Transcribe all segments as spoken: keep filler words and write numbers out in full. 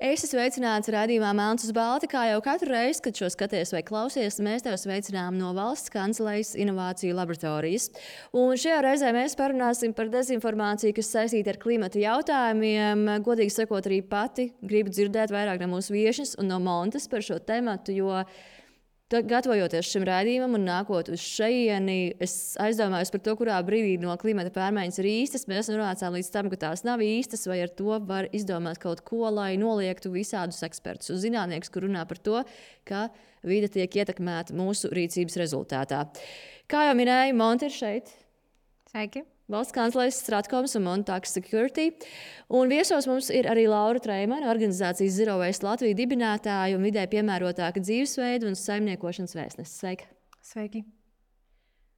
Es esmu sveicināts raidījumā Melns uz Balta, kā jau katru reizi, kad šo skaties vai klausies, mēs tev sveicinām no Valsts kancelējas inovāciju laboratorijas. Un šajā reizē mēs parunāsim par dezinformāciju, kas saistīta ar klimata jautājumiem. Godīgi sakot, arī pati gribu dzirdēt vairāk no mūsu viešņas un no Montes par šo tematu, jo gatavojoties šim raidījumam un nākot uz šejieni, es aizdomājos par to, kurā brīdī no klimata pārmaiņas ir īstas. Mēs nonācām līdz tam, ka tās nav īstas, vai ar to var izdomāt kaut ko, lai noliegtu visādus ekspertus un zinātniekus, kur runā par to, ka vide tiek ietekmēta mūsu rīcības rezultātā. Kā jau minēju, Monte ir šeit. Sveiki! Valsts kancelējas Stratkoms un Montax Security. Un viesos mums ir arī Laura Treimane, organizācijas Zero Waste Latvija dibinātāja un vidē piemērotāka dzīvesveida un saimniekošanas vēstnese. Sveika! Sveiki!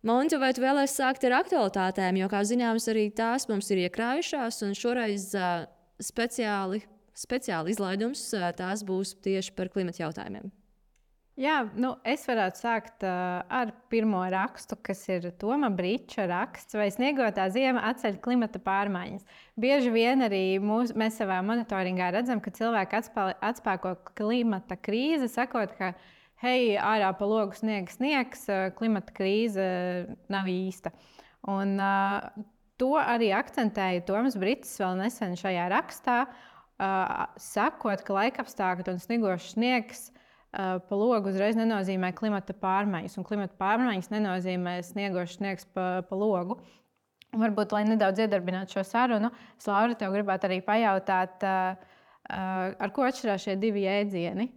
Monte, vai tu vēlēsi sākt ar aktualitātēm, jo, kā zināms, arī tās mums ir iekrājušās, un šoreiz uh, speciāli, speciāli izlaidums uh, tās būs tieši par klimata jautājumiem. Jā, nu, es varētu sākt uh, ar pirmo rakstu, kas ir Toma Briča raksts, vai sniegotā ziema atceļ klimata pārmaiņas. Bieži vien arī mūs, mēs savā monitoringā redzam, ka cilvēki atspā, atspēko klimata krīzi, sakot, ka hei, ārā pa logu sniegs sniegs, klimata krīze nav īsta. Un, uh, to arī akcentēja Toms Bričs vēl nesen šajā rakstā, uh, sakot, ka laikapstākļi un snigošs sniegs pa logu uzreiz nenozīmē klimata pārmaiņas, un klimata pārmaiņas nenozīmē sniegošs sniegs pa, pa logu. Un varbūt, lai nedaudz iedarbinātu šo sarunu, es, Laura, tev gribētu arī pajautāt, ar ko atšķirās šie divi jēdzieni?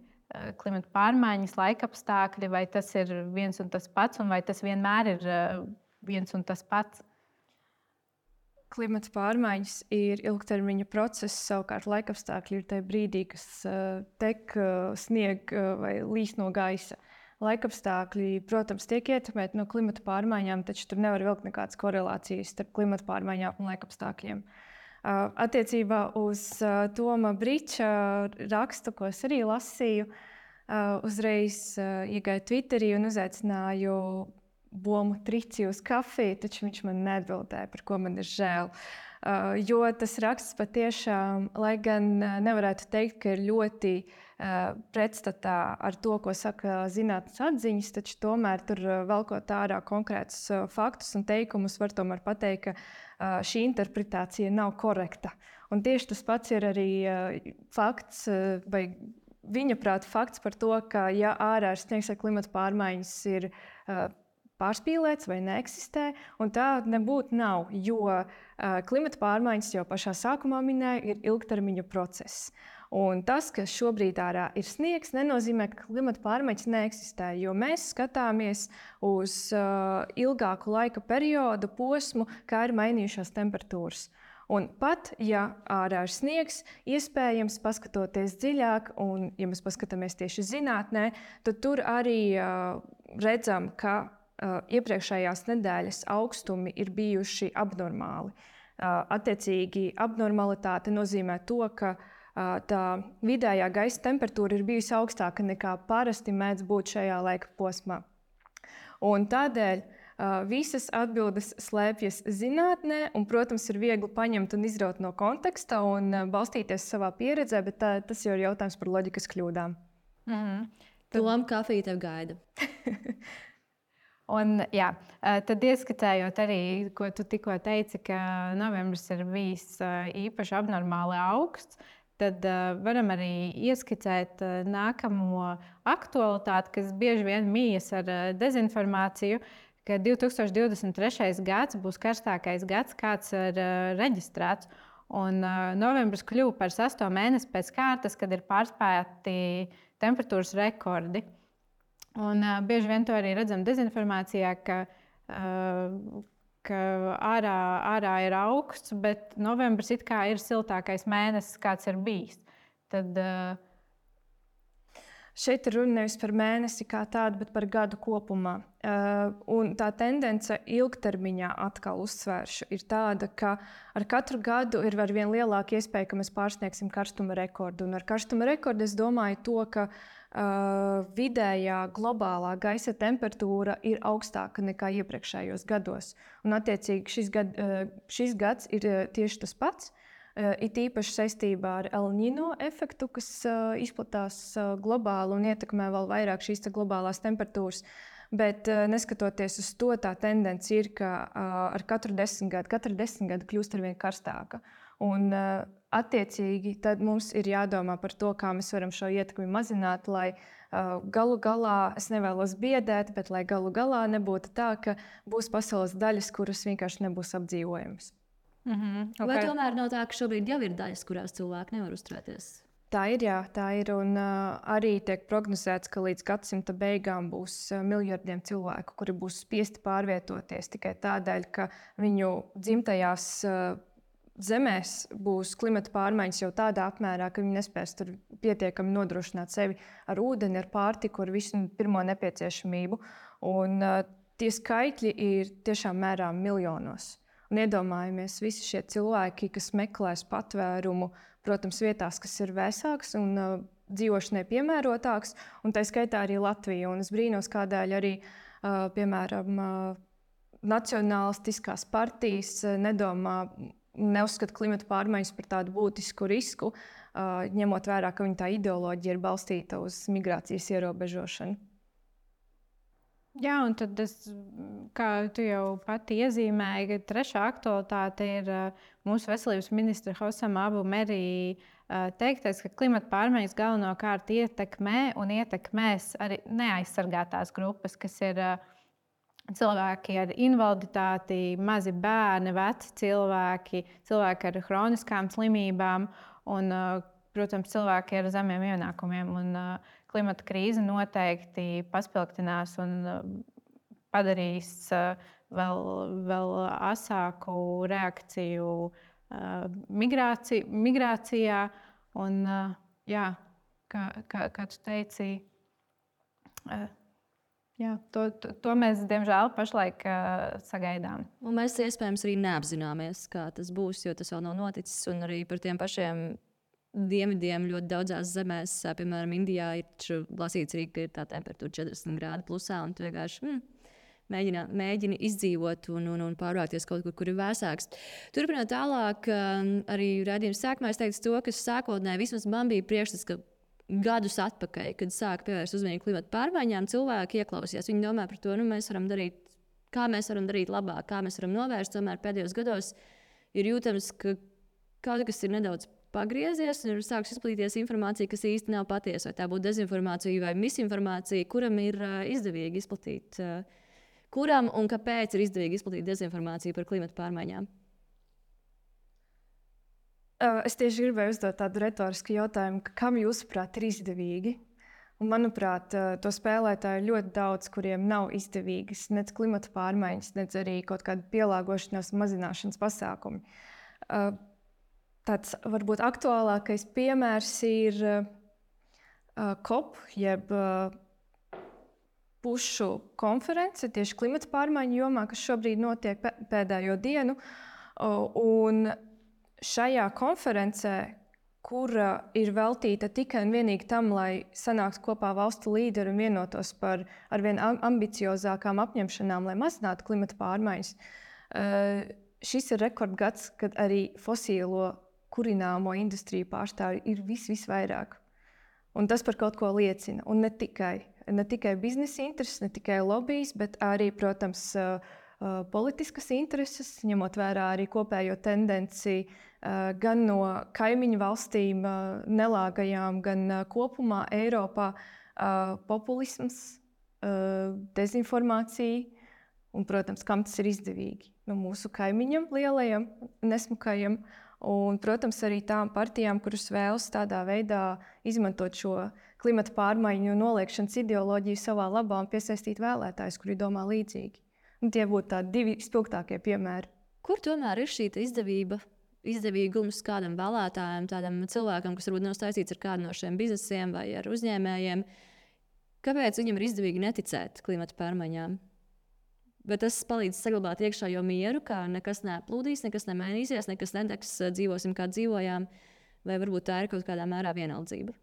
Klimata pārmaiņas, laikapstākļi, vai tas ir viens un tas pats, un vai tas vienmēr ir viens un tas pats? Klimata pārmaiņas ir ilgtermiņa process, savukārt laikapstākļi ir tajā brīdī, kas uh, tek, uh, snieg uh, vai līst no gaisa. Laikapstākļi, protams, tiek ietekmēti no klimata pārmaiņām, taču tur nevar vilkt nekādas korelācijas starp klimata pārmaiņām un laikapstākļiem. Uh, attiecībā uz uh, Toma Briča rakstu, ko es arī lasīju, uh, uzreiz uh, iegāju Twitterī un uzaicināju Bomu Trici uz kafiju, taču viņš man neatbildēja, par ko man ir žēl. Uh, jo tas raksts patiešām, lai gan uh, nevarētu teikt, ka ir ļoti uh, pretstatā ar to, ko saka zinātnes atziņas, taču tomēr tur uh, velkot ārā konkrētus uh, faktus un teikumus, var tomēr pateikt, ka uh, šī interpretācija nav korekta. Un tieši tas pats ir arī uh, fakts, uh, vai viņa prāta fakts par to, ka ja ārā ir sniegs vai klimata pārmaiņas ir uh, pārspīlēts vai neeksistē, un tā nebūtu nav, jo uh, klimata pārmaiņas jau pašā sākumā minēja, ir ilgtermiņa process. Un tas, ka šobrīd ārā ir sniegs, nenozīmē, ka klimata pārmaiņas neeksistē, jo mēs skatāmies uz uh, ilgāku laika periodu, posmu, kā ir mainījušās temperatūras. Un pat, ja ārā ir sniegs, iespējams, paskatoties dziļāk, un ja mēs paskatāmies tieši zinātnē, tad tur arī uh, redzam, ka Uh, iepriekšējās nedēļas augstumi ir bijuši abnormāli. Uh, attiecīgi, abnormalitāte nozīmē to, ka uh, tā vidējā gaisa temperatūra ir bijusi augstāka nekā parasti mēdz būt šajā laika posmā. Un tādēļ uh, visas atbildes slēpjas zinātnē, un, protams, ir viegli paņemt un izraut no konteksta un uh, balstīties savā pieredzē, bet tā, tas jau ir jautājums par loģikas kļūdām. Mm-hmm. Tom, kafija tev gaida. Un, jā, tad ieskicējot arī, ko tu tikko teici, ka novembris ir bijis īpaši abnormāli augsts, tad varam arī ieskicēt nākamo aktualitāti, kas bieži vien mijas ar dezinformāciju, ka divi tūkstoši divdesmit trešais gads būs karstākais gads, kāds ir reģistrēts. Un novembris kļuva par sesto mēnesi pēc kārtas, kad ir pārspēti temperatūras rekordi. Un, uh, bieži vien to arī redzam dezinformācijā, ka, uh, ka ārā, ārā ir augsts, bet novembris it kā ir siltākais mēnesis, kāds ir bijis. Tad, uh... Šeit ir runa nevis par mēnesi kā tādu, bet par gadu kopumā. Uh, un tā tendence ilgtermiņā, atkal uzsvēršu, ir tāda, ka ar katru gadu ir ar vien lielāka iespēja, ka mēs pārsniegsim karstuma rekordu. Un ar karstuma rekordu es domāju to, ka Uh, vidējā globālā gaisa temperatūra ir augstāka nekā iepriekšējos gados. Un, attiecīgi, šis, gad, uh, šis gads ir uh, tieši tas pats. it īpaši saistībā ar El Niño efektu, kas izplatās globāli un ietekmē vēl vairāk šīs globālās temperatūras. Bet neskatoties uz to, tā tendence ir, ka ar katru desmitgadu, katru desmitgadu kļūst arvien karstāka. Un, attiecīgi, tad mums ir jādomā par to, kā mēs varam šo ietekmi mazināt, lai uh, galu galā, es nevēlos biedēt, bet lai galu galā nebūtu tā, ka būs pasaules daļas, kuras vienkārši nebūs apdzīvojamas. Mm-hmm, okay. Vai tomēr nav tā, ka šobrīd jau ir daļas, kurās cilvēki nevar uzturēties? Tā ir, jā, tā ir. Un uh, arī tiek prognozēts, ka līdz gadsimta beigām būs uh, miljardiem cilvēku, kuri būs spiesti pārvietoties tikai tādēļ, ka viņu dzimtajās uh, zemēs būs klimata pārmaiņas jau tādā apmērā, ka viņi nespēs tur pietiekami nodrošināt sevi ar ūdeni, ar pārtiku, ar visu pirmo nepieciešamību. Un, uh, tie skaitļi ir tiešām mērām miljonos. Un iedomājamies visi šie cilvēki, kas meklēs patvērumu, protams, vietās, kas ir vēsākas un uh, dzīvošanai piemērotākas, un tā skaitā arī Latvija. Un es brīnos, kādēļ arī, uh, piemēram, uh, nacionālistiskās partijas uh, nedomā, neuzskata klimata pārmaiņas par tādu būtisku risku, uh, ņemot vērā, ka viņa tā ideoloģija ir balstīta uz migrācijas ierobežošanu. Jā, un tad, es, kā tu jau pati iezīmēji, ka trešā aktualitāte ir uh, mūsu veselības ministra Hosam Abu Merī uh, teiktais, ka klimata pārmaiņas galvenokārt ietekmē un ietekmēs arī neaizsargātās grupas, kas ir uh, cilvēki ar invaliditāti, mazi bērni, veci cilvēki, cilvēki ar hroniskām slimībām un, uh, protams, cilvēki ar zemiem ienākumiem. Un, uh, klimata krīze noteikti paspilgtinās un uh, padarīs uh, vēl, vēl asāku reakciju uh, migrāci, migrācijā. Un, uh, jā, kā, kā, kā tu teici, uh, jā, to, to, to mēs, diemžēl, pašlaik uh, sagaidām. Un mēs iespējams arī neapzināmies, kā tas būs, jo tas vēl nav noticis. Un arī par tiem pašiem dienvidiem ļoti daudzās zemēs, piemēram, Indijā, ir lasīts arī, ka ir tā temperatūra četrdesmit grādi plusā. Un tu vienkārši mm, mēģini, mēģini izdzīvot un, un, un pārvākties kaut kur, kur ir vēsāks. Turpinot tālāk, arī raidījuma sākumā es teicu to, ka sākotnēji vismaz man bija priekšstats, ka gadus atpakaļ, kad sāka pievērst uzmanību klimata pārmaiņām, cilvēki ieklausījās. Viņi domā par to, nu, mēs varam darīt, kā mēs varam darīt labāk, kā mēs varam novērst. Tomēr pēdējos gados ir jūtams, ka kaut kas ir nedaudz pagriezies un ir sākusi izplatīties informācija, kas īsti nav patiesa. Vai tā būtu dezinformācija vai misinformācija, kuram ir uh, izdevīgi izplatīt, uh, kuram un kāpēc ir izdevīgi izplatīt dezinformāciju par klimata pārmaiņām? Uh, es tieši gribēju uzdot tādu retorisku jautājumu, kam jūsuprāt ir izdevīgi? Un, manuprāt, uh, to spēlētāju ir ļoti daudz, kuriem nav izdevīgas nec klimata pārmaiņas, nec arī kaut kāda pielāgošanās un mazināšanas pasākumi. Uh, Tāds varbūt aktuālākais piemērs ir uh, COP, jeb uh, pušu konference tieši klimata pārmaiņu jomā, kas šobrīd notiek pēdējo dienu. Uh, un šajā konferencē, kura ir veltīta tikai un vienīgi tam, lai sanāktu kopā valstu līderi un vienotos par arvien ambiciozākām apņemšanām, lai mazinātu klimata pārmaiņas, uh, šis ir rekordgads, kad arī fosīlo kurināmo industriju pārstāvji ir vis, visvairāk. Un tas par kaut ko liecina. Un ne tikai, ne tikai biznesa intereses, ne tikai lobbyis, bet arī, protams, politiskas intereses, ņemot vērā arī kopējo tendenci gan no kaimiņu valstīm nelāgajām, gan kopumā Eiropā populisms, dezinformācija un, protams, kam tas ir izdevīgi. No mūsu kaimiņam lielajam, nesmukajam. Un, protams, arī tām partijām, kuras vēlas tādā veidā izmantot šo klimata pārmaiņu noliekšanas ideoloģiju savā labā un piesaistīt vēlētājus, kuri domā līdzīgi. Un tie būtu tādi divi spilgtākie piemēri. Kur tomēr ir šī izdevība, izdevīgums kādam vēlētājam, tādam cilvēkam, kas varbūt nav saistīts ar kādu no šiem biznesiem vai ar uzņēmējiem? Kāpēc viņam ir izdevīgi neticēt klimata pārmaiņām? Bet tas palīdz saglabāt iekšējo mieru, ka nekas neplūdīs, nekas nemainīsies, nekas nedegs, dzīvosim kā dzīvojām, vai varbūt tā ir kaut kādā mērā vienaldzība?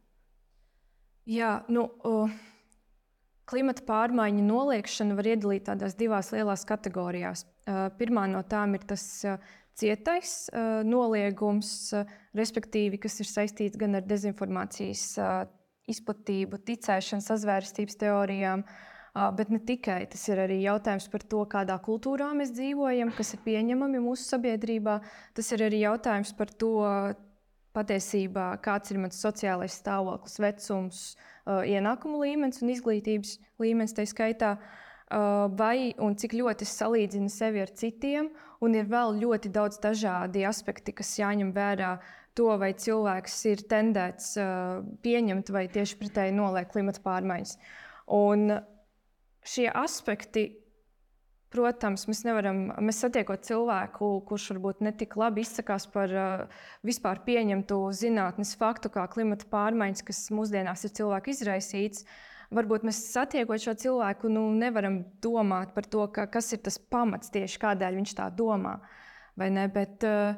Jā, nu, uh, klimata pārmaiņu noliekšanu var iedalīt tādās divās lielās kategorijās. Uh, pirmā no tām ir tas uh, cietais uh, noliegums, uh, respektīvi, kas ir saistīts gan ar dezinformācijas uh, izplatību, ticēšanu, sazvērstības teorijām, uh, bet ne tikai. Tas ir arī jautājums par to, kādā kultūrā mēs dzīvojam, kas ir pieņemami mūsu sabiedrībā. Tas ir arī jautājums par to, patiesībā, kāds ir mans sociālais stāvoklis, vecums, uh, ienākumu līmenis un izglītības līmenis tā skaitā, uh, vai un cik ļoti es salīdzinu sevi ar citiem, un ir vēl ļoti daudz dažādi aspekti, kas jāņem vērā to, vai cilvēks ir tendēts uh, pieņemt vai tieši pretēji noliegt klimata pārmaiņas. Un šie aspekti, protams, mēs nevaram, mēs satiekot cilvēku, kurš varbūt netik labi izsakās par uh, vispār pieņemtu zinātnes faktu, kā klimata pārmaiņas, kas mūsdienās ir cilvēku izraisīts. Varbūt mēs satiekot šo cilvēku, nu, nevaram domāt par to, ka, kas ir tas pamats tieši kādēļ viņš tā domā. Vai ne? Bet, uh,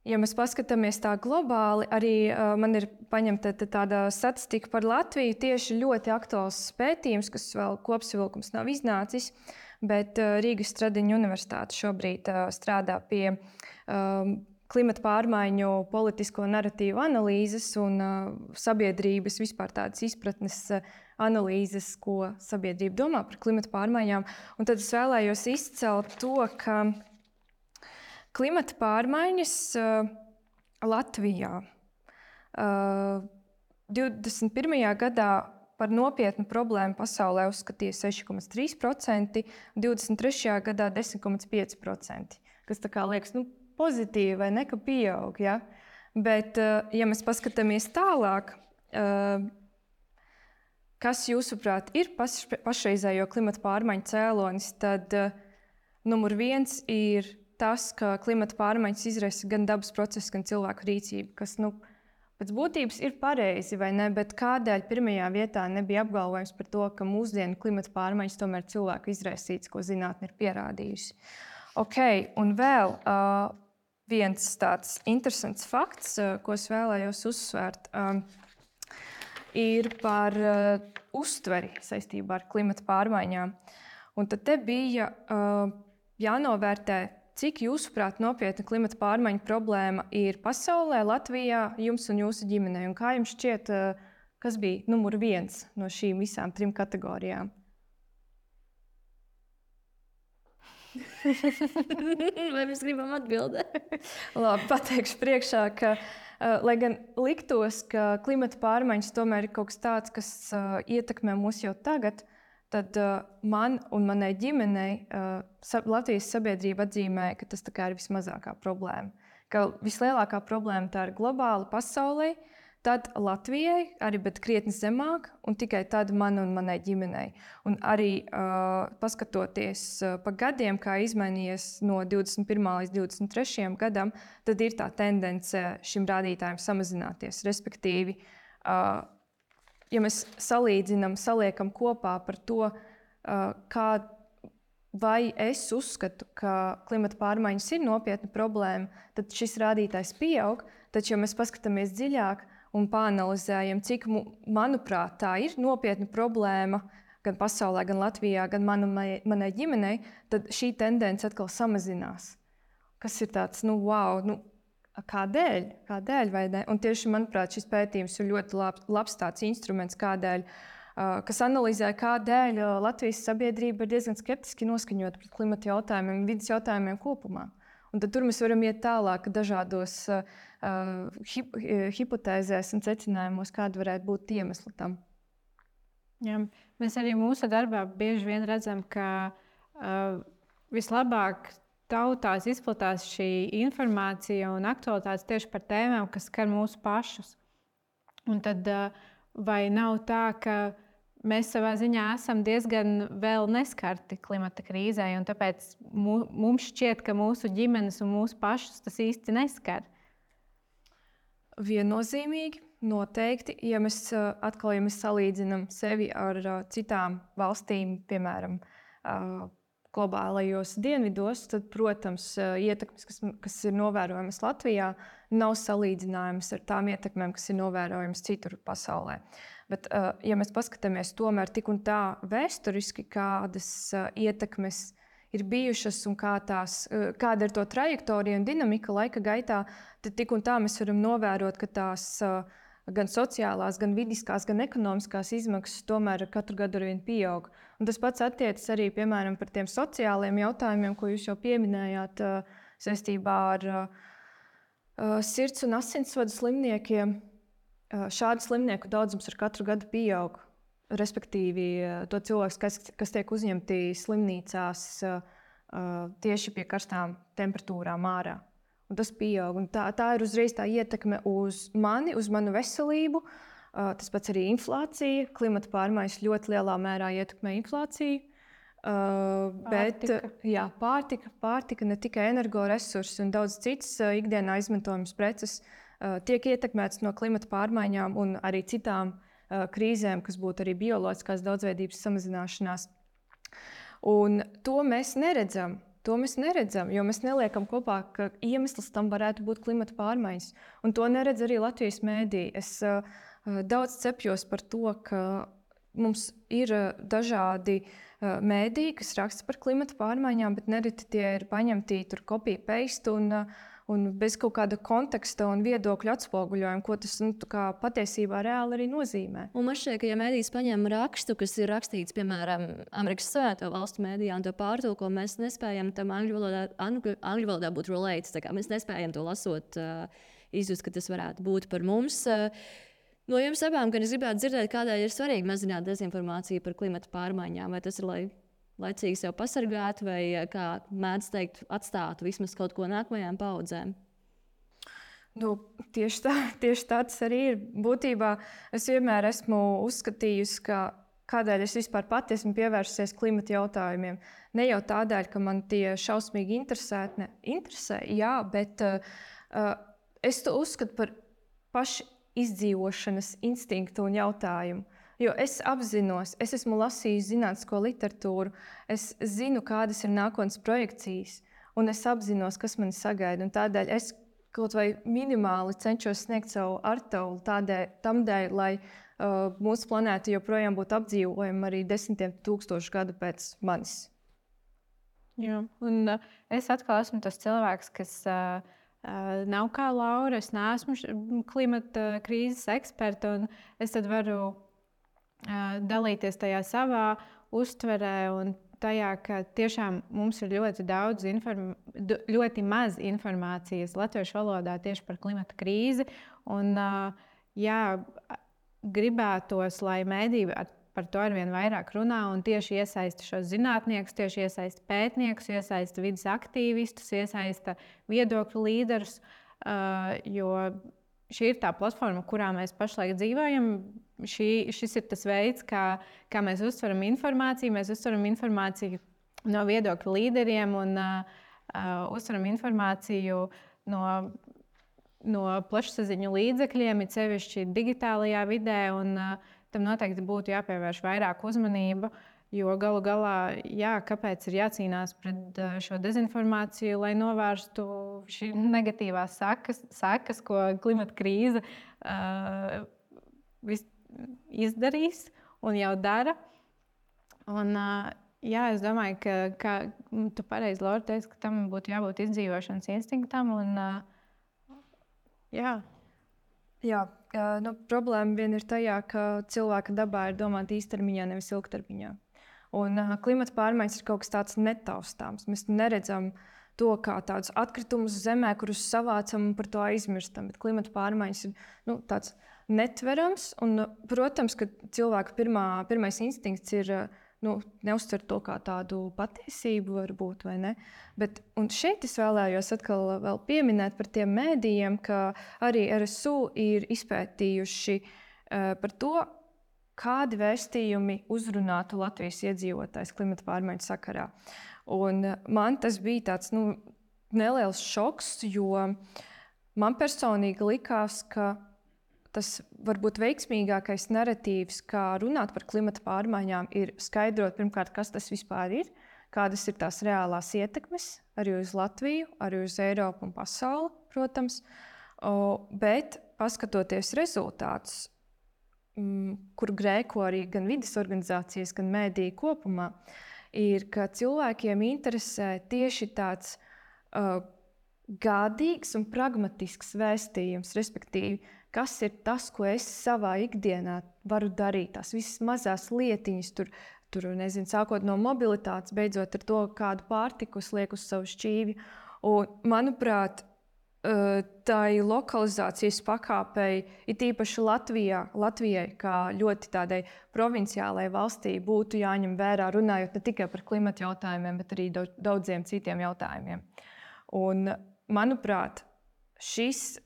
ja mēs paskatāmies tā globāli, arī uh, man ir paņemta tāda statistika par Latviju, tieši ļoti aktuāls pētījums, kas vēl kopsavilkums nav iznācis. Bet uh, Rīgas Stradiņa universitāte šobrīd uh, strādā pie um, klimata pārmaiņu politisko naratīvu analīzes un uh, sabiedrības vispār tādas izpratnes uh, analīzes, ko sabiedrība domā par klimata pārmaiņām. Un tad es vēlējos izcelt to, ka klimata pārmaiņas uh, Latvijā uh, divdesmit pirmajā gadā par nopietnu problēmu pasaulē uzskatīja seši komats trīs procenti, divdesmit trešajā gadā desmit komats pieci procenti, kas tā kā liekas nu, pozitīvi vai ne, ka pieaug. Ja? Bet, ja mēs paskatāmies tālāk, kas jūsuprāt ir pašreizējo klimata pārmaiņu cēlonis, tad numur viens ir tas, ka klimata pārmaiņas izraisa gan dabas procesus, gan cilvēku rīcību, kas nu, pēc būtības ir pareizi, vai ne, bet kādēļ pirmajā vietā nebija apgalvojums par to, ka mūsdienu klimata pārmaiņas tomēr cilvēku izraisīts, ko zinātne ir pierādījusi. Ok, un vēl uh, viens tāds interesants fakts, uh, ko es vēlējos uzsvērt, um, ir par uh, uztveri saistībā ar klimata pārmaiņām. Un tad te bija uh, jānovērtē, cik jūsuprāt nopietna klimata pārmaiņu problēma ir pasaulē, Latvijā, jums un jūsu ģimenei? Un kā jums šķiet, kas bija numur viens no šīm visām trim kategorijām? Vai mēs gribam atbildēt? Labi, pateikšu priekšā, ka, lai gan liktos, ka klimata pārmaiņas tomēr ir kaut kas tāds, kas ietekmē mūs jau tagad, tad uh, man un manai ģimenei uh, Latvijas sabiedrība atzīmē, ka tas tā kā ir vismazākā problēma. Ka vislielākā problēma tā ir globāla pasaulē, tad Latvijai, arī bet krietni zemāk, un tikai tad man un manai ģimenei. Un arī uh, paskatoties uh, pa gadiem, kā izmainījies no divdesmit pirmā līdz divdesmit trešajam gadam, tad ir tā tendence šim rādītājam samazināties. Respektīvi, uh, ja mēs salīdzinām, saliekam kopā par to, kā, vai es uzskatu, ka klimata pārmaiņas ir nopietna problēma, tad šis rādītājs pieaug. Taču, ja mēs paskatāmies dziļāk un pāanalizējam, cik, manuprāt, tā ir nopietna problēma gan pasaulē, gan Latvijā, gan man un manai ģimenei, tad šī tendence atkal samazinās. Kas ir tāds, nu, wow, nu, Kādēļ? Kādēļ vai ne? Un tieši, manuprāt, šis pētījums ir ļoti labs, labs tāds instruments, kādēļ, kas analizē, kādēļ Latvijas sabiedrība ir diezgan skeptiski noskaņota pret klimata jautājumiem un vidas jautājumiem kopumā. Un tad tur mēs varam iet tālāk dažādos uh, hip, hipotēzēs un secinājumos, kāda varētu būt iemesli tam. Jā, mēs arī mūsu darbā bieži vien redzam, ka uh, vislabāk tautās izplatās šī informācija un aktualitātes tieši par tēmām, kas skar mūsu pašus. Un tad vai nav tā, ka mēs savā ziņā esam diezgan vēl neskarti klimata krīzē, un tāpēc mums šķiet, ka mūsu ģimenes un mūsu pašus tas īsti neskar? Viennozīmīgi, noteikti. Ja mēs atkal, ja mēs salīdzinām sevi ar citām valstīm, piemēram, globālajos dienvidos, tad, protams, ietekmes, kas, kas ir novērojamas Latvijā, nav salīdzinājamas ar tām ietekmēm, kas ir novērojamas citur pasaulē. Bet, ja mēs paskatāmies tomēr tik un tā vēsturiski, kādas ietekmes ir bijušas un kā tās, kāda ir to trajektorija un dinamika laika gaitā, tad tik un tā mēs varam novērot, ka tās gan sociālās, gan vidiskās, gan ekonomiskās izmaksas tomēr katru gadu arvien pieaug. Un tas pats attiecas arī, piemēram, par tiem sociāliem jautājumiem, ko jūs jau pieminējāt saistībā ar sirds un asinsvadu slimniekiem. Šādu slimnieku daudzums ar katru gadu pieaug. Respektīvi, to cilvēku, kas, kas tiek uzņemti slimnīcās tieši pie karstām temperatūrām ārā. Un tas pieaug. Un tā, tā ir uzreiz tā ietekme uz mani, uz manu veselību. Tas pats arī inflācija. Klimata pārmaiņas ļoti lielā mērā ietekmē inflāciju. Bet pārtika. Jā, pārtika, pārtika, ne tikai energoresursi un daudz citas ikdienā izmantojamas preces tiek ietekmētas no klimata pārmaiņām un arī citām krīzēm, kas būtu arī bioloģiskās daudzveidības samazināšanās. Un to mēs neredzam. To mēs neredzam, jo mēs neliekam kopā, ka iemesls tam varētu būt klimata pārmaiņas. Un to neredz arī Latvijas mēdīji. Es uh, daudz cepjos par to, ka mums ir uh, dažādi uh, mēdīji, kas raksta par klimata pārmaiņām, bet nereti tie ir paņemti tur copy-paste un, uh, un bez kaut kāda konteksta un viedokļu atspoguļojuma, ko tas nu, patiesībā reāli arī nozīmē. Un man šķiet, ka ja mēdījis paņem rakstu, kas ir rakstīts, piemēram, Amerikas Savienoto Valstu mēdījā un to pārtulko, mēs nespējam tam angļu valodā, angļu, angļu valodā būt related. Tā kā mēs nespējam to lasot, uh, izjust, ka tas varētu būt par mums. Uh, no jums abām, gan es gribētu dzirdēt, kādēļ ir svarīgi mazināt dezinformāciju par klimata pārmaiņām. Vai tas ir, lai laicīgi sev pasargātu, vai, kā mēdz teikt, atstātu vismaz kaut ko nākamajām paudzēm? Nu, tieši, tā, tieši tā tas arī ir. Būtībā es vienmēr esmu uzskatījusi, ka kādēļ es vispār pati esmu pievērsusies klimata jautājumiem. Ne jau tādēļ, ka man tie šausmīgi interesē, ne, interesē jā, bet uh, es to uzskatu par pašu izdzīvošanas instinktu un jautājumu. Jo es apzinos, es esmu lasījusi zinātnisko literatūru, es zinu, kādas ir nākotnes projekcijas, un es apzinos, kas mani sagaida. Un tādēļ es kaut vai minimāli cenšos sniegt savu artaulu tādēļ, tam dēļ, lai uh, mūsu planēta joprojām būtu apdzīvojama arī desmitiem tūkstošu gadu pēc manis. Jā, un uh, es atkal esmu tas cilvēks, kas uh, uh, nav kā Laura, es neesmu klimata krīzes eksperta, un es tad varu dalīties tajā savā uztverē un tajā, ka tiešām mums ir ļoti daudz, inform... ļoti maz informācijas latviešu valodā tieši par klimata krīzi. Un, jā, gribētos, lai mēdīji par to arvien vairāk runā un tieši iesaista šos zinātniekus, tieši iesaista pētniekus, iesaista vidas aktīvistus, iesaista viedokļu līderus, jo šī ir tā platforma, kurā mēs pašlaik dzīvojam. Šī, šis ir tas veids, kā, kā mēs uztveram informāciju. Mēs uztveram informāciju no viedokļu līderiem un uh, uztveram informāciju no, no plašsaziņu līdzekļiem, it sevišķi digitālajā vidē. Un, uh, tam noteikti būtu jāpievērš vairāk uzmanība, jo galu galā, jā, kāpēc ir jācīnās pret uh, šo dezinformāciju, lai novērstu šī negatīvās sekas, sekas, ko klimata krīze uh, vis, izdarīs un jau dara. Un, jā, es domāju, ka, ka tu pareizi, Laura, teici, ka tam būtu jābūt izdzīvošanas instinktam. Un, jā. Jā, nu, problēma vien ir tajā, ka cilvēka dabā ir domāta īstermiņā, nevis ilgtermiņā. Un klimata pārmaiņas ir kaut kas tāds netaustāms. Mēs neredzam to kā tādus atkritumus zemē, kurus savācam un par to aizmirstam. Bet klimata pārmaiņas ir nu, tāds netverams. Un, protams, ka cilvēka pirmā, pirmais instinkts ir nu, neuztvert to kā tādu patiesību, varbūt, vai ne. Bet, un šeit es vēlējos atkal vēl pieminēt par tiem mēdījiem, ka arī R S U ir izpētījuši uh, par to, kādi vēstījumi uzrunātu Latvijas iedzīvotājs klimata pārmaiņu sakarā. Un man tas bija tāds nu, neliels šoks, jo man personīgi likās, ka tas varbūt veiksmīgākais naratīvs, kā runāt par klimata pārmaiņām, ir skaidrot pirmkārt, kas tas vispār ir, kādas ir tās reālās ietekmes arī uz Latviju, arī uz Eiropu un pasauli, protams. O, bet paskatoties rezultātus, m, kur grēko arī gan vides organizācijas, gan mēdīji kopumā, ir, ka cilvēkiem interesē tieši tāds uh, gādīgs un pragmatisks vēstījums, respektīvi, kas ir tas, ko es savā ikdienā varu darīt, tās visas mazās lietiņas, tur, tur nezinu, sākot no mobilitātes, beidzot ar to, kādu pārtiku es lieku uz savu šķīvi. Un, manuprāt, tai lokalizācijas pakāpei, it īpaši Latvijā, Latvijai, kā ļoti tādai provinciālai valstī, būtu jāņem vērā, runājot ne tikai par klimata jautājumiem, bet arī daudziem citiem jautājumiem. Un, manuprāt, šis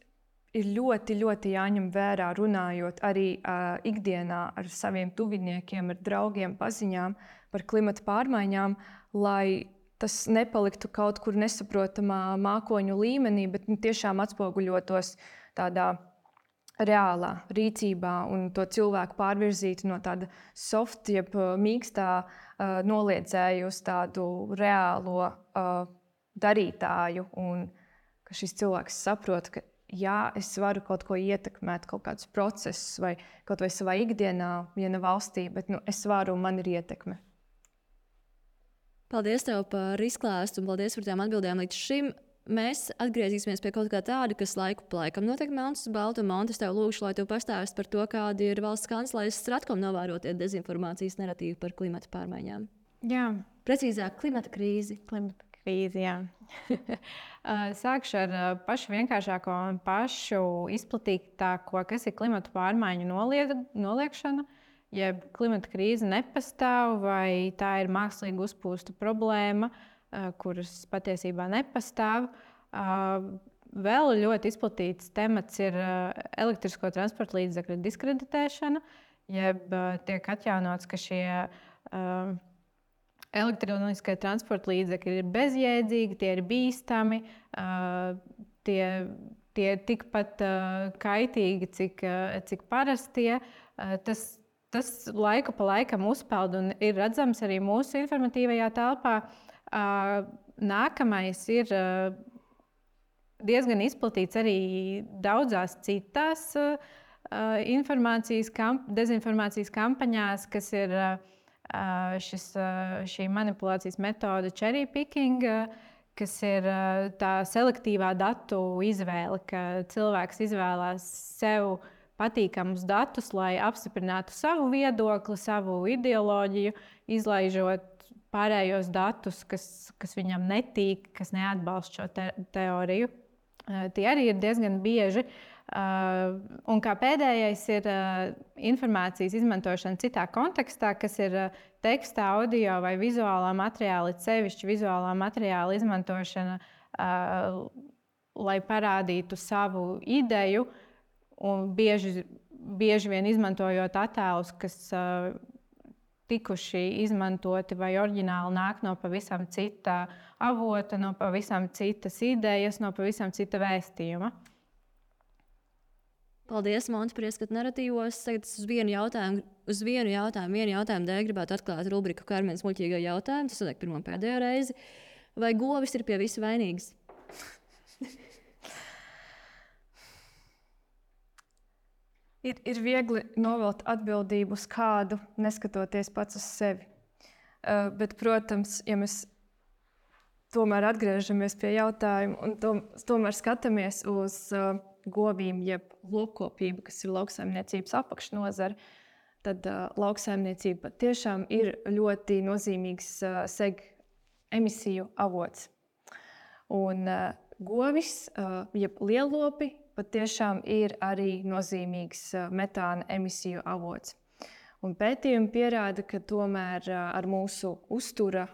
ir ļoti, ļoti jāņem vērā, runājot arī uh, ikdienā ar saviem tuviniekiem, ar draugiem, paziņām par klimata pārmaiņām, lai tas nepaliktu kaut kur nesaprotamā mākoņu līmenī, bet nu, tiešām atspoguļotos tādā reālā rīcībā un to cilvēku pārvirzītu no tāda soft, jeb mīkstā uh, noliedzēju uz tādu reālo uh, darītāju. Un ka šis cilvēks saprot, ka jā, es varu kaut ko ietekmēt, kaut kādus procesus vai kaut vai savā ikdienā, ja ne valstī, bet nu, es varu un man ir ietekme. Paldies tev par izklāstu un paldies par tām atbildēm līdz šim. Mēs atgriezīsimies pie kaut kā tāda, kas laiku pa laikam notiek melns uz baltu. Monte, es tev lūgšu, lai tu pastāstītu par to, kādi ir valsts kanclejas Stratkom novērotie dezinformācijas narratīvi par klimata pārmaiņām. Jā. Precīzāk, klimata krīzi. Klimata krīzi, jā. Sākšu ar pašu vienkāršāko un pašu izplatītāko, kas ir klimata pārmaiņu noliek, noliekšana. Jeb klimata krīze nepastāv, vai tā ir mākslīgi uzpūsta problēma, kuras patiesībā nepastāv. Vēl ļoti izplatīts temats ir elektrisko transporta līdzekļu diskreditēšana, jeb tiek atjaunots, ka šie elektroniskie transporta līdzekļi ir bezjēdzīgi, tie ir bīstami, tie, tie ir tikpat kaitīgi, cik, cik parastie. Tas Tas laiku pa laikam uzpeld un ir redzams arī mūsu informatīvajā telpā. Nākamais ir diezgan izplatīts arī daudzās citās informācijas, kamp, dezinformācijas kampaņās, kas ir šis, šī manipulācijas metode cherry picking, kas ir tā selektīvā datu izvēle, ka cilvēks izvēlās sev patīkamus datus, lai apstiprinātu savu viedokli, savu ideoloģiju, izlaižot pārējos datus, kas, kas viņam netīk, kas neatbalsta šo te teoriju. Uh, tie arī ir diezgan bieži. Uh, un kā pēdējais ir uh, informācijas izmantošana citā kontekstā, kas ir uh, teksta, audio vai vizuālā materiāla, sevišķi vizuālā materiāla izmantošana, uh, lai parādītu savu ideju. Un bieži, bieži vien izmantojot attēlus, kas uh, tikuši izmantoti vai oriģināli nāk no pavisam cita avota, no pavisam citas idejas, no pavisam cita vēstījuma. Paldies, Monte, par ieskatu narratīvos. Tagad uz vienu jautājumu, uz vienu jautājumu, vienu jautājumu dēļ gribētu atklāt rubriku Karmenes muļķīgo jautājumu. Tas notiek pirmo pēdējo reizi. Vai govis ir pie visa vainīgs? Ir, ir viegli novelt atbildību uz kādu, neskatoties pats uz sevi. Uh, bet, protams, ja mēs tomēr atgriežamies pie jautājuma un to, tomēr skatāmies uz uh, govīm, jeb lopkopību, kas ir lauksaimniecības apakšnozare, tad uh, lauksaimniecība tiešām ir ļoti nozīmīgs uh, seg emisiju avots. Un uh, govis, uh, jeb lielopi, patiešām ir arī nozīmīgs metāna emisiju avots. Un pētījumi pierāda, ka tomēr ar mūsu uztura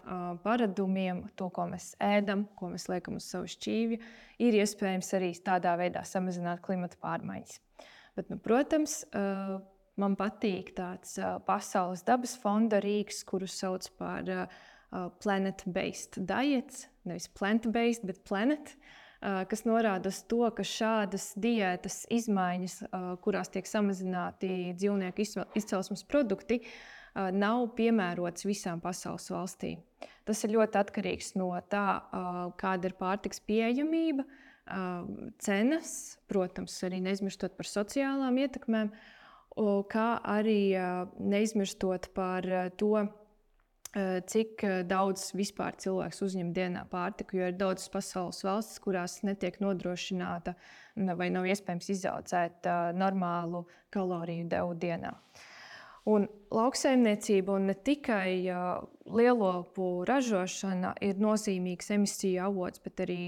paradumiem, to, ko mēs ēdam, ko mēs liekam uz savu šķīvju, ir iespējams arī tādā veidā samazināt klimata pārmaiņas. Bet, nu, protams, man patīk tāds Pasaules dabas fonda rīks, kuru sauc par planet-based diets, nevis plant-based, bet planet, kas norāda uz to, ka šādas diētas izmaiņas, kurās tiek samazināti dzīvnieku izcelsmes produkti, nav piemērotas visām pasaules valstīm. Tas ir ļoti atkarīgs no tā, kāda ir pārtikas pieejamība, cenas, protams, arī neizmirstot par sociālām ietekmēm, kā arī neizmirstot par to, cik daudz vispār cilvēks uzņem dienā pārtiku, jo ir daudzas pasaules valstis, kurās netiek nodrošināta vai nav iespējams izaudzēt normālu kaloriju devu dienā. Un lauksaimniecība un ne tikai lielopu ražošana ir nozīmīgs emisiju avots, bet arī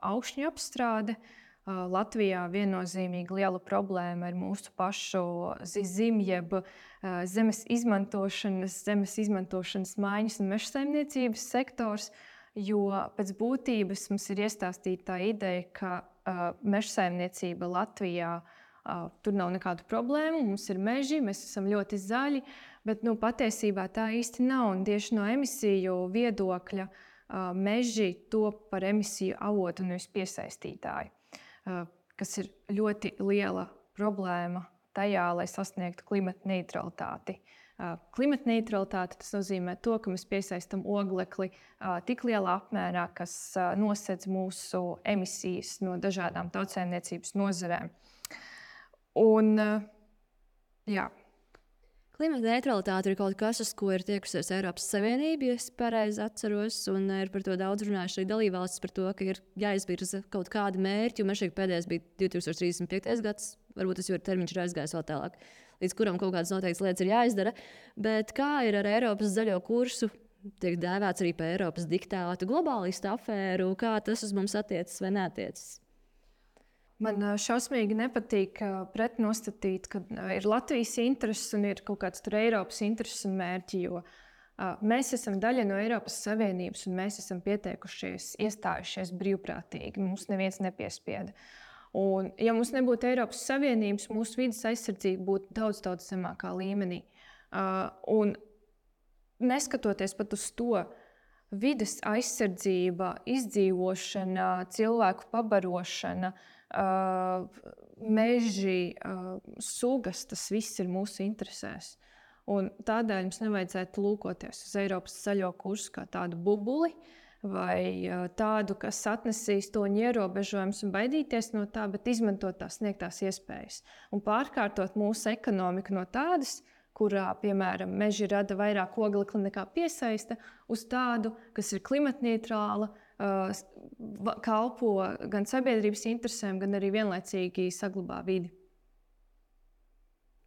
augšņu apstrāde. Latvijā viennozīmīgi liela problēma ir mūsu pašu zim, jeb zemes izmantošanas, zemes izmantošanas maiņas un mežsaimniecības sektors, jo pēc būtības mums ir iestāstīta tā ideja, ka uh, mežsaimniecība Latvijā uh, tur nav nekādu problēmu, mums ir meži, mēs esam ļoti zaļi, bet nu, patiesībā tā īsti nav. Un tieši no emisiju viedokļa uh, meži top par emisiju avotu, nevis piesaistītāju. Kas ir ļoti liela problēma tajā, lai sasniegtu klimata neutralitāti. Klimata neutralitāte tas nozīmē to, ka mēs piesaistam oglekli tik lielā apmērā, kas nosedz mūsu emisijas no dažādām tautsēmniecības nozarēm. Un, jā. Klimata neutralitāte ir kaut kas, uz ko ir tiekusies Eiropas Savienība, ja es pareizi atceros, un ir par to daudz runājuši arī dalībvalstis par to, ka ir jāizvirza kaut kādi mērķi, un šeit pēdējais bija divi tūkstoši trīsdesmit piektais gads, varbūt tas jau ir termiņš ir aizgājis vēl tālāk, līdz kuram kaut kādas noteiktas lietas ir jāizdara, bet kā ir ar Eiropas zaļo kursu, tiek dēvēts arī par Eiropas diktātu, globālistu afēru, kā tas uz mums attiecas vai neatiecas? Man šausmīgi nepatīk pretnostatīt, ka ir Latvijas intereses un ir kaut kāds tur Eiropas intereses un mērķi, jo mēs esam daļa no Eiropas Savienības un mēs esam pieteikušies, iestājušies brīvprātīgi. Mums neviens nepiespieda. Un, ja mums nebūtu Eiropas Savienības, mūsu vides aizsardzība būtu daudz, daudz zemākā līmenī. Un neskatoties pat uz to, vides aizsardzība, izdzīvošana, cilvēku pabarošana, Uh, meži, uh, sugas, tas viss ir mūsu interesēs. Un tādēļ mums nevajadzētu lūkoties uz Eiropas zaļo kursu kā tādu bubuli vai uh, tādu, kas atnesīs to ierobežojumus un baidīties no tā, bet izmantot tās sniegtās iespējas. Un pārkārtot mūsu ekonomiku no tādas, kurā, piemēram, meži rada vairāk oglekli nekā piesaista, uz tādu, kas ir klimatneitrāla, kalpo gan sabiedrības interesēm, gan arī vienlaicīgi saglabā vidi.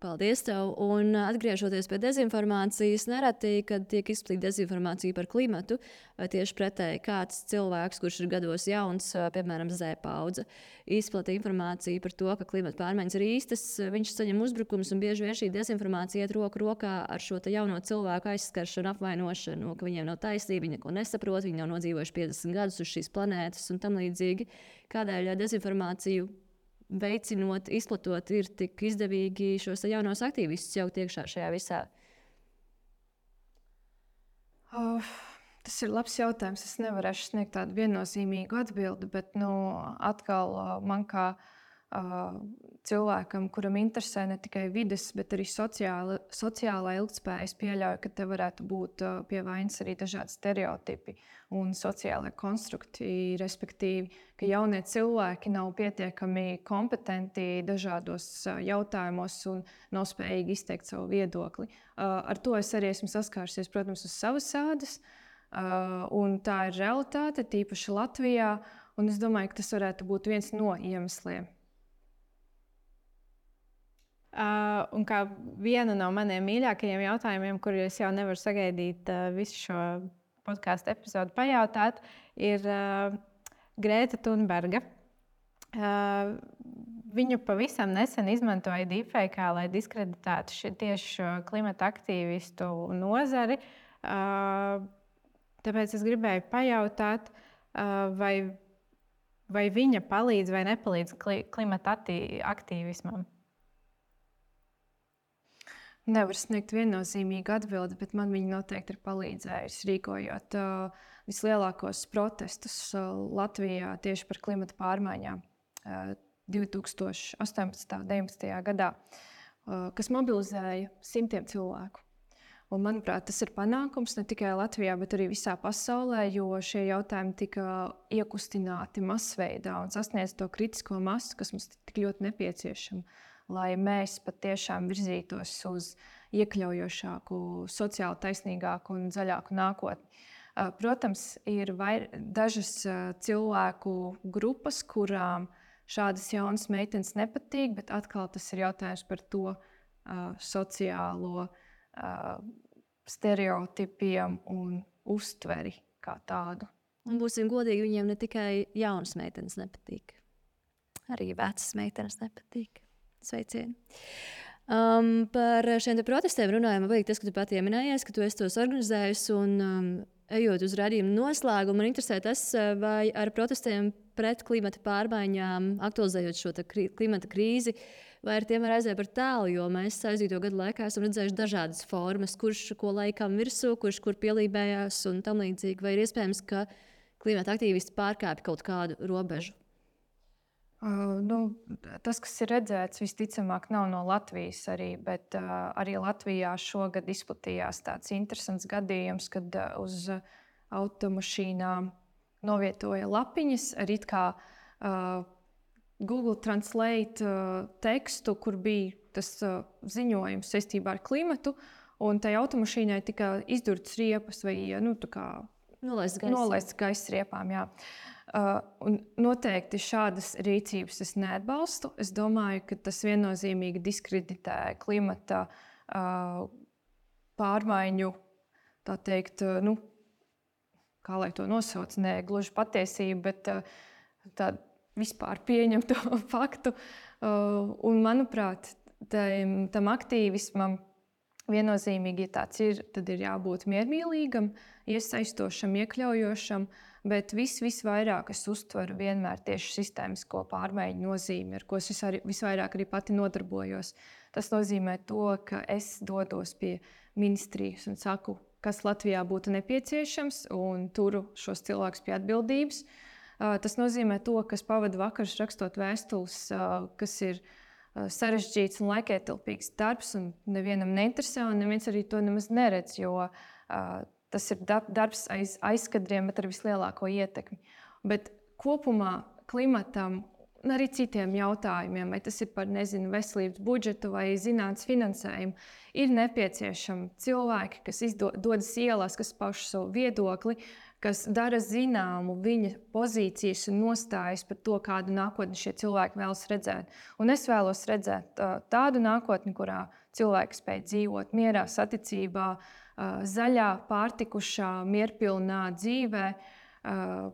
Paldies tev! Un atgriežoties pie dezinformācijas, nereti, kad tiek izplatīta dezinformācija par klimatu, vai tieši pretēji kāds cilvēks, kurš ir gados jauns, piemēram, Z paudze, izplatīja informāciju par to, ka klimata pārmaiņas ir īstas, viņš saņem uzbrukumus, un bieži vien šī dezinformācija iet roku rokā ar šo jauno cilvēku aizskaršanu, apvainošanu, ka viņiem nav taisnība, viņi neko nesaprot, viņi nav nodzīvojuši piecdesmit gadus uz šīs planētas un tam līdzīgi. Kādēļ dezinformāciju veicinot, izplatot, ir tik izdevīgi šos jaunos aktīvistus jau iekšā šajā visā? Oh, tas ir labs jautājums. Es nevarēšu sniegt tādu viennozīmīgu atbildi, bet nu, atkal man kā uh, cilvēkam, kuram interesē ne tikai vides, bet arī sociāla, sociālā ilgtspēja, es pieļauju, ka te varētu būt uh, pie vainas arī dažādi stereotipi un sociālai konstrukti, respektīvi, ka jaunie cilvēki nav pietiekami kompetenti dažādos jautājumos un nav spējīgi izteikt savu viedokli. Ar to es arī esmu saskārusies, protams, uz savas ādas, un tā ir realitāte, tīpaši Latvijā, un es domāju, ka tas varētu būt viens no iemesliem. Uh, un kā vienu no maniem mīļākajiem jautājumiem, kurus jau nevaru sagaidīt uh, visu šo podkāstu epizodu pajautāt, ir uh, Grēta Thunberga. Uh, viņu pavisam nesen izmantoja deepfake, lai diskreditētu ši, tieši šo klimata aktīvistu nozari. Uh, tāpēc es gribēju pajautāt, uh, vai, vai viņa palīdz vai nepalīdz kli, klimata aktīvismam. Nevar sniegt viennozīmīgu atbildi, bet man viņa noteikti ir palīdzējusi rīkojot uh, vislielākos protestus uh, Latvijā tieši par klimata pārmaiņām uh, divi tūkstoši astoņpadsmitajā un deviņpadsmitajā gadā, uh, kas mobilizēja simtiem cilvēku. Un, manuprāt, tas ir panākums ne tikai Latvijā, bet arī visā pasaulē, jo šie jautājumi tika iekustināti masveidā un sasniedz to kritisko masu, kas mums tik ļoti nepieciešama, lai mēs patiešām virzītos uz iekļaujošāku, sociāli taisnīgāku un zaļāku nākotni. Protams, ir vair, dažas cilvēku grupas, kurām šādas jaunas meitenes nepatīk, bet atkal tas ir jautājums par to uh, sociālo uh, stereotipiem un uztveri kā tādu. Un būsim godīgi, viņiem ne tikai jaunas meitenes nepatīk. Arī vecas meitenes nepatīk. Sveicieni! Um, par šiem protestiem runājot, man liekas, ka tu pati pieminējies, ka tu esi tos organizējusi. Un, um, ejot uz raidījumu noslēgumu, man interesē tas, vai ar protestiem pret klimata pārmaiņām, aktualizējot šo krī, klimata krīzi, vai ar tiem var aiziet par tālu, jo mēs aizdīto gadu laikā esam redzējuši dažādas formas, kurš ko laikam virsū, kurš kur pielībējās un tam līdzīgi. Vai ir iespējams, ka klimata aktīvisti pārkāpj kaut kādu robežu? Uh, nu, tas, kas ir redzēts, visticamāk, nav no Latvijas arī, bet uh, arī Latvijā šogad izplatījās tāds interesants gadījums, kad uh, uz automašīnām novietoja lapiņas ar it kā uh, Google Translate uh, tekstu, kur bija tas uh, ziņojums saistībā ar klimatu, un tai automašīnai tika izdurtas riepas vai nu, nolaists gaisa. Nolaists gaisa riepām, jā. Uh, un noteikti šādas rīcības es neatbalstu. Es domāju, ka tas viennozīmīgi diskreditē klimata uh, pārmaiņu, tā teikt, uh, nu, kā lai to nosauc, ne gluži patiesību, bet uh, tādu vispār pieņemtu faktu. Uh, un, manuprāt, tam, tam aktīvismam viennozīmīgi, ja tāds ir, tad ir jābūt miermīlīgam, iesaistošam, iekļaujošam, bet vis, visvairāk es uztveru vienmēr tieši sistēmisko pārmaiņu nozīmi, ar ko es visvair, visvairāk arī pati nodarbojos. Tas nozīmē to, ka es dodos pie ministrijas un saku, kas Latvijā būtu nepieciešams, un turu šos cilvēkus pie atbildības. Tas nozīmē to, ka es pavadu vakarus rakstot vēstules, kas ir sarežģīts un laikietilpīgs darbs, un nevienam neinteresē, un neviens arī to nemaz neredz, jo uh, tas ir darbs aiz aizkadriem, bet ar vislielāko ietekmi. Bet kopumā klimatam un arī citiem jautājumiem, vai tas ir par nezinu, veselības budžetu vai zinātnes finansējumu, ir nepieciešami cilvēki, kas izdo, dodas ielās, kas pauž savu viedokli, kas dara zināmu viņa pozīcijas un nostājas par to, kādu nākotni šie cilvēki vēlas redzēt. Un es vēlos redzēt uh, tādu nākotni, kurā cilvēki spēj dzīvot mierā, saticībā, uh, zaļā, pārtikušā, mierpilnā dzīvē, uh,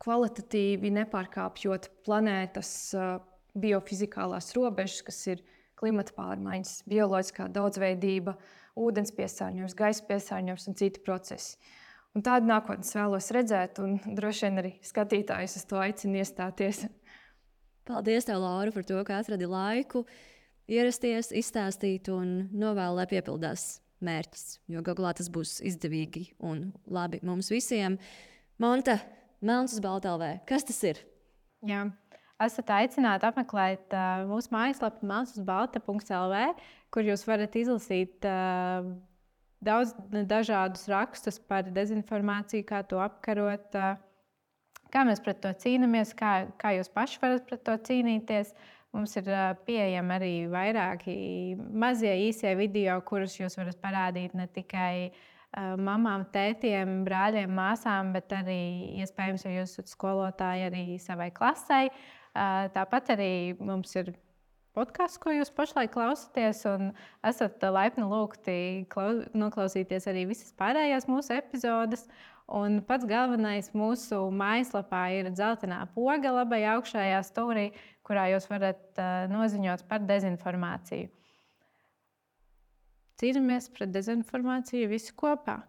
kvalitatīvi nepārkāpjot planētas uh, biofizikālās robežas, kas ir klimata pārmaiņas, bioloģiskā daudzveidība, ūdens piesārņojums, gaisa piesārņojums un citi procesi. Un tādu nākotnes vēlos redzēt, un droši vien arī skatītājus uz to aicinu iestāties. Paldies, tev, Laura, par to, ka atradi laiku ierasties, izstāstīt un novēlu, lai piepildās mērķis, jo galu galā tas būs izdevīgi un labi mums visiem. Monta, Melns uz balta L V. Kas tas ir? Jā. Esat aicināti apmeklēt uh, mūsu mājaslapu melns uz balta punkts L V, kur jūs varat izlasīt uh, daudz dažādus rakstus par dezinformāciju, kā to apkarot, kā mēs pret to cīnāmies, kā, kā jūs paši varat pret to cīnīties. Mums ir pieejami arī vairāki mazie īsie video, kurus jūs varat parādīt ne tikai mamām, tētiem, brāļiem, māsām, bet arī, iespējams, ja jūs esat skolotāji, arī savai klasei. Tāpat arī mums ir podkāsts, ko jūs pašlaik klausāties, un esat laipni lūgti noklausīties arī visas pārējās mūsu epizodes. Un pats galvenais mūsu mājaslapā ir dzeltenā poga labajā augšējā stūrī, kurā jūs varat uh, noziņot par dezinformāciju. Cīnāmies pret dezinformāciju visi kopā.